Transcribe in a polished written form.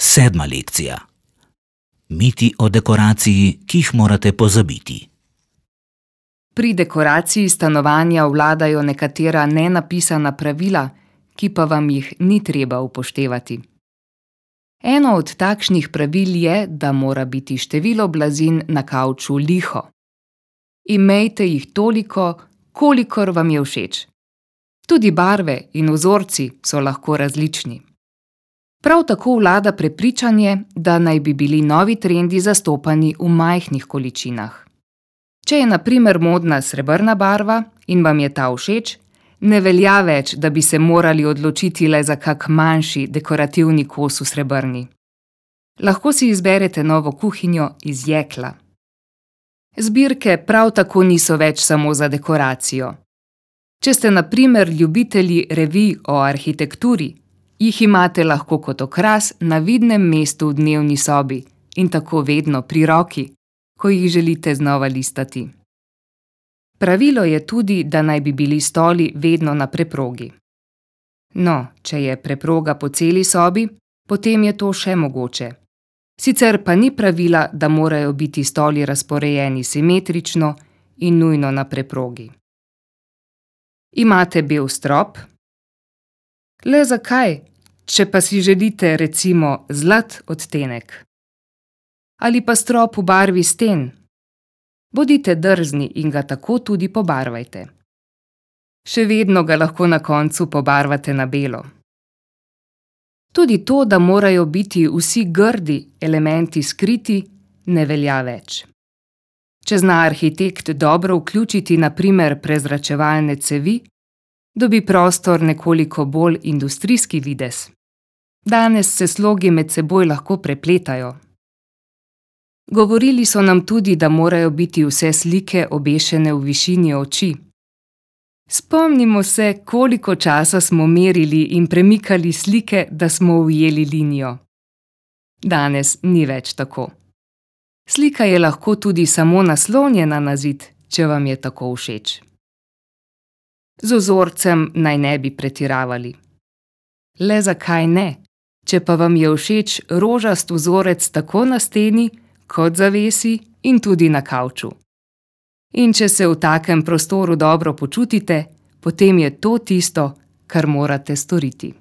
7. lekcija. Miti o dekoraciji, ki jih morate pozabiti. Pri dekoraciji stanovanja vladajo nekatera nenapisana pravila, ki pa vam jih ni treba upoštevati. Eno od takšnih pravil je, da mora biti število blazin na kavču liho. Imejte jih toliko, kolikor vam je všeč. Tudi barve in vzorci so lahko različni. Prav tako vlada prepričanje, da naj bi bili novi trendi zastopani v majhnih količinah. Če je na primer modna srebrna barva in vam je ta všeč, ne velja več, da bi se morali odločiti le za kak manjši dekorativni kos v srebrni. Lahko si izberete novo kuhinjo iz jekla. Zbirke prav tako niso več samo za dekoracijo. Če ste na primer ljubitelji revij o arhitekturi, jih imate lahko kot okras na vidnem mestu v dnevni sobi in tako vedno pri roki, ko jih želite znova listati. Pravilo je tudi, da naj bi bili stoli vedno na preprogi. No, če je preproga po celi sobi, potem je to še mogoče. Sicer pa ni pravila, da morajo biti stoli razporejeni simetrično in nujno na preprogi. Imate bel strop? Le zakaj, če pa si želite recimo zlat odtenek? Ali pa strop v barvi sten? Bodite drzni in ga tako tudi pobarvajte. Še vedno ga lahko na koncu pobarvate na belo. Tudi to, da morajo biti vsi grdi elementi skriti, ne velja več. Če zna arhitekt dobro vključiti na primer prezračevalne cevi, dobi prostor nekoliko bolj industrijski videz. Danes se slogi med seboj lahko prepletajo. Govorili so nam tudi, da morajo biti vse slike obešene v višini oči. Spomnimo se, koliko časa smo merili in premikali slike, da smo ujeli linijo. Danes ni več tako. Slika je lahko tudi samo naslonjena na zid, če vam je tako všeč. Z vzorcem naj ne bi pretiravali. Le zakaj ne, če pa vam je všeč rožast vzorec tako na steni, kot zavesi in tudi na kavču. In če se v takem prostoru dobro počutite, potem je to tisto, kar morate storiti.